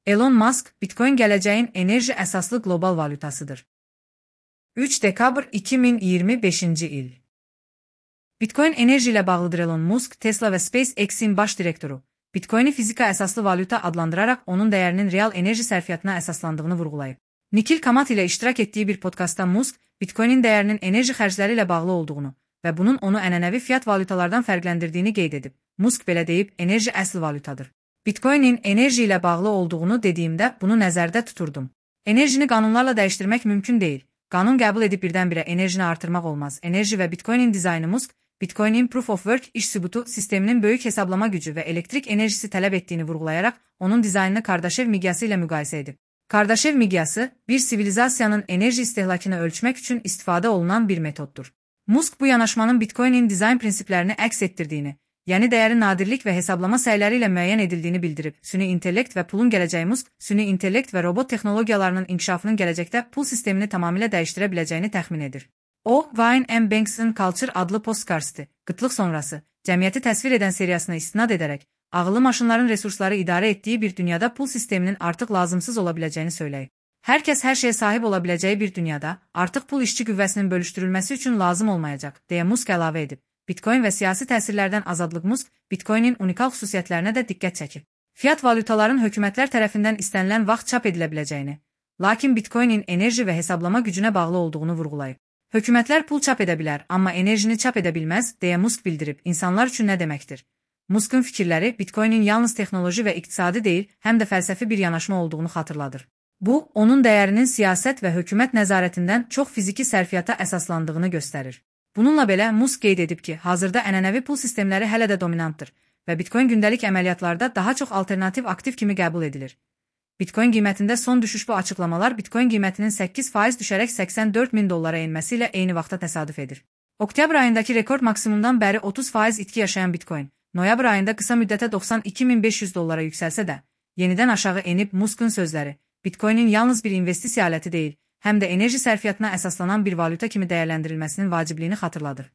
Elon Musk, Bitcoin gələcəyin enerji əsaslı qlobal valyutasıdır. 3 dekabr 2025-ci il. Bitcoin enerji ilə bağlıdır. Elon Musk, Tesla və SpaceX-in baş direktoru, Bitcoini fizika əsaslı valyuta adlandıraraq onun dəyərinin real enerji sərfiyyatına əsaslandığını vurğulayıb. Nikil Kamat ilə iştirak etdiyi bir podkastda Musk, Bitcoinin dəyərinin enerji xərcləri ilə bağlı olduğunu və bunun onu ənənəvi fiat valyutalardan fərqləndirdiyini qeyd edib. Musk belə deyib, enerji əsl valyutadır. Bitcoinin enerji ilə bağlı olduğunu dediyimdə bunu nəzərdə tuturdum. Enerjini qanunlarla dəyişdirmək mümkün deyil. Qanun qəbul edib birdən-birə enerjini artırmaq olmaz. Enerji və Bitcoinin dizaynı Musk, Bitcoinin Proof of Work iş sübutu sisteminin böyük hesablama gücü və elektrik enerjisi tələb etdiyini vurğulayaraq, onun dizaynını Kardashev miqyası ilə müqayisə edib. Kardashev miqyası, bir sivilizasiyanın enerji istehlakını ölçmək üçün istifadə olunan bir metoddur. Musk bu yanaşmanın Bitcoinin dizayn prinsiplərini əks etdirdiyini, yəni dəyəri nadirlik və hesablama səyləri ilə müəyyən edildiyini bildirib. Süni intellekt və pulun gələcəyi Musk, süni intellekt və robot texnologiyalarının inkişafının gələcəkdə pul sistemini tamamilə dəyişdirə biləcəyini təxmin edir. O, Wayne M. Banks'ın Culture adlı postkarstı, qıtlıq sonrası, cəmiyyəti təsvir edən seriyasına istinad edərək, ağıllı maşınların resursları idarə etdiyi bir dünyada pul sisteminin artıq lazımsız ola biləcəyini söyləyib. Hər kəs hər şeyə sahib ola biləcəyi bir dünyada, artıq pul işçi qüvvəsinin bölüşdürülməsi üçün lazım olmayacaq, deyə Musk əlavə edib. Bitcoin və siyasi təsirlərdən azadlıq Musk, Bitcoinin unikal xüsusiyyətlərinə də diqqət çəkib. Fiat valyutaların hökumətlər tərəfindən istənilən vaxt çap edilə biləcəyini, lakin Bitcoinin enerji və hesablama gücünə bağlı olduğunu vurğulayıb. Hökumətlər pul çap edə bilər, amma enerjini çap edə bilməz, deyə Musk bildirib. İnsanlar üçün nə deməkdir? Musk'ın fikirləri Bitcoinin yalnız texnoloji və iqtisadi deyil, həm də fəlsəfi bir yanaşma olduğunu xatırladır. Bu, onun dəyərinin siyasət və hökumət nəzarətindən çox fiziki sərfiyyata əsaslandığını göstərir. Bununla belə, Musk qeyd edib ki, hazırda ənənəvi pul sistemləri hələ də dominantdır və Bitcoin gündəlik əməliyyatlarda daha çox alternativ aktiv kimi qəbul edilir. Bitcoin qiymətində son düşüş bu açıqlamalar Bitcoin qiymətinin 8% düşərək $84.000 enməsi ilə eyni vaxtda təsadüf edir. Oktyabr ayındakı rekord maksimumdan bəri 30% itki yaşayan Bitcoin, noyabr ayında qısa müddətə $92.500 yüksəlsə də, yenidən aşağı enib. Musk'ın sözləri, Bitcoinin yalnız bir investisiya aləti deyil, həm də enerji sərfiyyatına əsaslanan bir valyuta kimi dəyərləndirilməsinin vacibliyini xatırladır.